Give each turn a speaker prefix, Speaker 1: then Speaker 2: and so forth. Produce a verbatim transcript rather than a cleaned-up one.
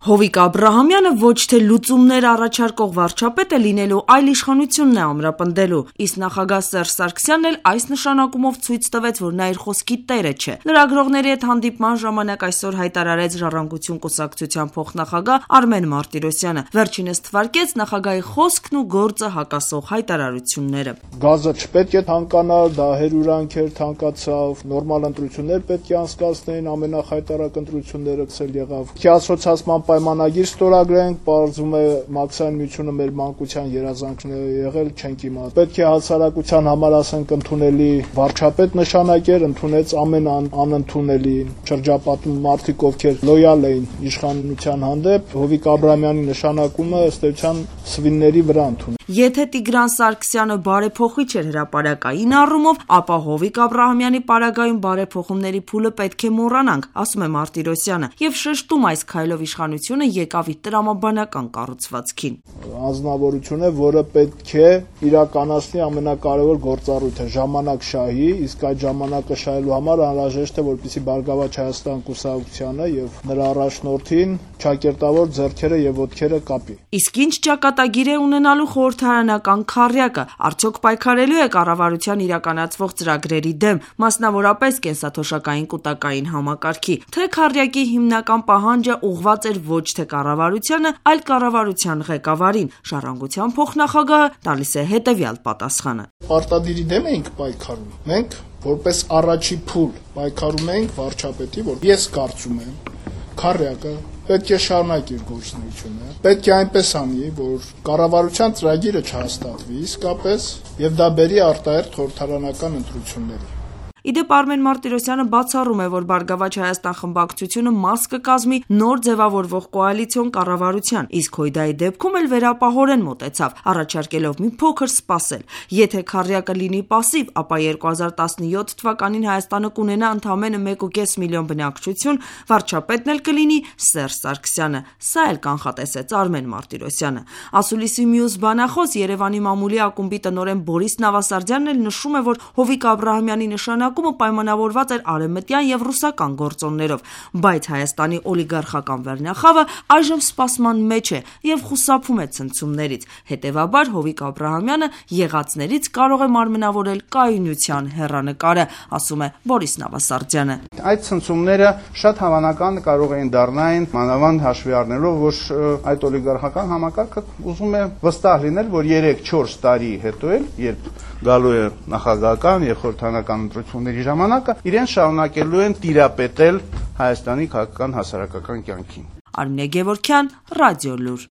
Speaker 1: Հովիկ Աբրահամյանը ոչ թե լուծումներ առաջարկող վարչապետ է լինելու, այլ իշխանությունն է ամրապնդելու, իսկ նախագահ Սերժ Սարգսյանն էլ այս նշանակումով ցույց տվեց, որ նա իր խոսքի տերը չէ։ Լրագրողների հետ հանդիպման ժամանակ այսօր հայտարարեց Ժառանգություն կուսակցության փոխնախագահ Արմեն Մարտիրոսյանը։ Վերջինս թվարկեց նախագահի խոսքն ու գործը հակասող հայտարարությունները։
Speaker 2: Գազը չպետք է թանկանար, դա հերյուրանքեր թանկացավ, նորմալ ընտրություններ պետք է անցկացնեին, ամենախայտարակ ընտրությունները ցել եղավ։ Ասոցիացիան պայմանագիր ստորագրենք, պարզվում է մաքսային միությունը մեր մանկության երազանքն է եղել, չենք իմացել։ Պետք է հասարակության համար ասենք ընդունելի վարչապետ նշանակեր, ընդունեց ամեն անընդունելի շրջապատում մարդիկ, ովքեր լոյալ էին իշխանության հանդեպ, Հովիկ Աբրահամյանի նշանակումը ըստ էության սվինների վրա ընդունել։
Speaker 1: Եթե Տիգրան Սարգսյանը բարեփոխիչ էր հրապարակային առումով, ապա Հովիկ Աբրահամյանի պարագայում բարեփոխումների փուլը պետք է մոռանանք, ասում է Մարտիրոսյանը, եւ շեշտում այս քայլով իշխանությունը եկավ իր տրամաբանական կառուցվածքին։
Speaker 2: Անձնավորություն է, որը պետք է իրականացնի ամենակարևոր գործառույթը՝ ժամանակ շահի, իսկ այդ ժամանակը շահելու համար անհրաժեշտ է, որպեսզի Բարգավաճ Հայաստան կուսակցությանը եւ նրա առաջնորդին ճակերտավոր ձեռքերը եւ ոտքերը կապի։
Speaker 1: Իսկ ինչ ճակատագիր է ունենալու խորհրդարանական քառյակը, արդյոք պայքարելու է կառավարության իրականացվող ծրագրերի դեմ, մասնավորապես կենսաթոշակային կուտակային համակարգի, թե քառյակի հիմնական պահանջը ուղղված էր ոչ թե կառավարությանը, այլ կառավարության ղեկավարին։ Ժառանգության փոխնախագահը տալիս է հետևյալ պատասխանը։
Speaker 2: Պարտադիրի դեմ էինք պայքարում։ Մենք որպես առաջի փուլ պայքարում էինք վարչապետի, որ ես կարծում եմ քառյակը պետք է շարունակի իր գործունեությունը, պետք է այնպես անի, որ կառավարության ծրագիրը չհաստատվի իսկապես եւ դա բերի արտահերթ խորհրդարանական ընտրությունների։
Speaker 1: Իդեպ Արմեն Մարտիրոսյանը բացառում է, որ Բարգավաճ Հայաստան խմբակցությունը մաս կկազմի նոր ձևավորվող կոալիցիոն կառավարության, իսկ Հույդայի դեպքում էլ վերապահորեն մոտեցավ, առաջարկելով մի փոքր սպասել։ Եթե քառյակը լինի պասիվ, ապա երկու հազար տասնյոթ թվականին Հայաստանը կունենա ընդամենը մեկ ու կես միլիոն բնակչություն, վարչապետն էլ կլինի Սերժ Սարգսյանը։ Սա էլ կանխատեսեց Արմեն Մարտիրոսյանը։ Ասուլիսի մյուս բանախոս Երևանի մամուլի ակումբի տնօրեն Բորիս Նավասարդյանն էլ նշում է, որ Հովիկ Աբրահամյանի նշանակ պայմանավորված էր արևմտյան եւ ռուսական գործոններով, բայց Հայաստանի օլիգարխական վերնախավը այժմ սպասման մեջ է եւ խուսափում է ցնցումներից։ Հետեւաբար Հովիկ Աբրահամյանը եղածներից կարող է մարմնավորել կայունության հեռանկարը, ասում է Բորիս Նավասարդյանը։
Speaker 3: Այդ ցնցումները շատ հավանական կարող էին դառնալ, մանավանդ հաշվի առնելով, որ այդ օլիգարխական համակարգը ուզում է վստահ լինել, որ երեք-չորս տարի հետո էլ, երբ գալու է նախագահական եւ խորհրդարանական ընտրությունների ժամանակը, իրեն շարունակելու են տիրապետել Հայաստանի քաղաքական հասարակական կյանքին։
Speaker 1: Արմինե Գևորգյան, Ռադիոլուր։